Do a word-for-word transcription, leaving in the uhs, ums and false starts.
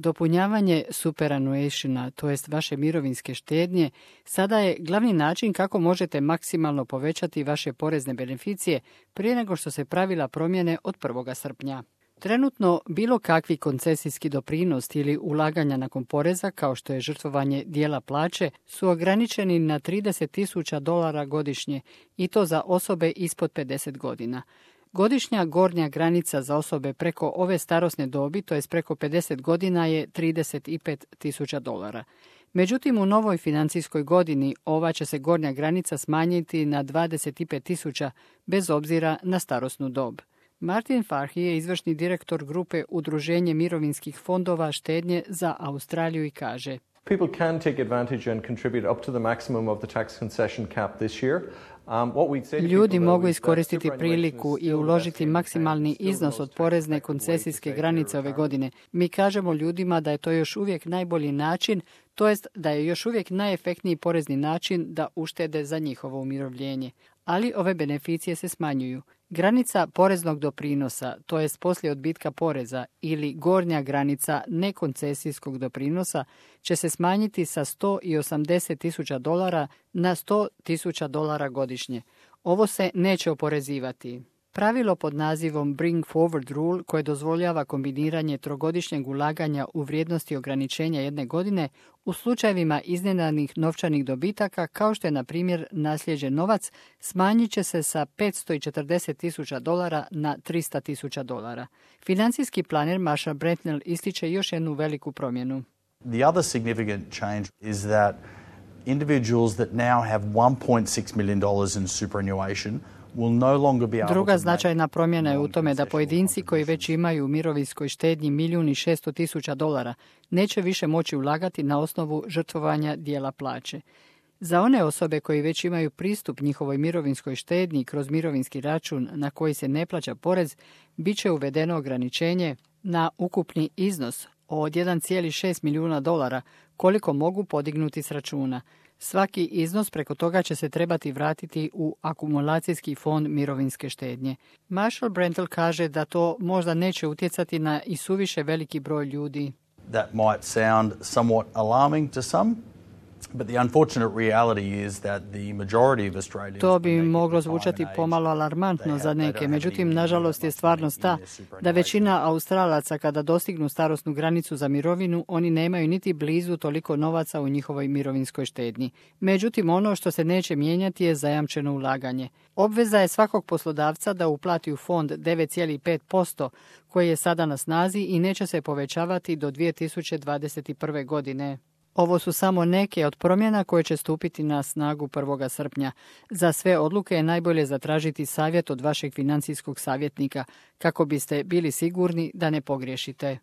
Dopunjavanje superannuationa, to jest vaše mirovinske štednje, sada je glavni način kako možete maksimalno povećati vaše porezne beneficije prije nego što se pravila promjene od prvog srpnja. Trenutno bilo kakvi koncesijski doprinos ili ulaganja nakon poreza, kao što je žrtvovanje dijela plaće, su ograničeni na trideset tisuća dolara godišnje i to za osobe ispod pedeset godina. Godišnja gornja granica za osobe preko ove starosne dobi, to je preko pedeset godina, je trideset pet tisuća dolara. Međutim, u novoj financijskoj godini ova će se gornja granica smanjiti na dvadeset pet tisuća bez obzira na starosnu dob. Martin Farhi je izvršni direktor grupe Udruženje mirovinskih fondova štednje za Australiju i kaže: People can take advantage and contribute up to the maximum of the tax concession cap this year. Um, what we'd say to Ljudi people, mogu though, is that iskoristiti superannuation is priliku i still uložiti vesting maksimalni and still iznos most od tax porezne effective way to koncesijske take granice your ove retirement. godine. Mi kažemo ljudima da je to još uvijek najbolji način, to jest da je još uvijek najefektniji porezni način da uštede za njihovo umirovljenje. Ali ove beneficije se smanjuju. Granica poreznog doprinosa, to jest poslije odbitka poreza, ili gornja granica nekoncesijskog doprinosa, će se smanjiti sa sto osamdeset tisuća dolara na sto tisuća dolara godišnje. Ovo se neće oporezivati. Pravilo pod nazivom Bring Forward Rule, koje dozvoljava kombiniranje trogodišnjeg ulaganja u vrijednosti ograničenja jedne godine u slučajevima iznenadnih novčanih dobitaka, kao što je na primjer nasljeđen novac, smanjit će se sa petsto četrdeset tisuća dolara na tristo tisuća dolara. Financijski planer Marshall Brentnell ističe još jednu veliku promjenu. The other significant change is that individuals that now have one point six million dollars in superannuation will no longer be able Druga to značajna make promjena je u tome da non-concessional pojedinci koji već imaju u mirovinskoj štednji milijun i šesto tisuća dolara neće više moći ulagati na osnovu žrtvovanja dijela plaće. Za one osobe koji već imaju pristup njihovoj mirovinskoj štednji kroz mirovinski račun na koji se ne plaća porez, bit će uvedeno ograničenje na ukupni iznos od jedan zarez šest milijuna dolara koliko mogu podignuti s računa. Svaki iznos preko toga će se trebati vratiti u akumulacijski fond mirovinske štednje. Marshall Brentnell kaže da to možda neće utjecati na i suviše veliki broj ljudi. That might sound somewhat alarming to some, but the unfortunate reality is that the majority of Australians To bi moglo zvučati pomalo alarmantno za neke, međutim, nažalost je stvarnost ta da većina Australaca kada dostignu starosnu granicu za mirovinu, oni nemaju niti blizu toliko novaca u njihovoj mirovinskoj štednji. Međutim, ono što se neće mijenjati je zajamčeno ulaganje. Obveza je svakog poslodavca da uplati u fond devet zarez pet posto koji je sada na snazi i neće se povećavati do dvije tisuće dvadeset prve. godine. Ovo su samo neke od promjena koje će stupiti na snagu prvog srpnja. Za sve odluke je najbolje zatražiti savjet od vašeg financijskog savjetnika kako biste bili sigurni da ne pogriješite.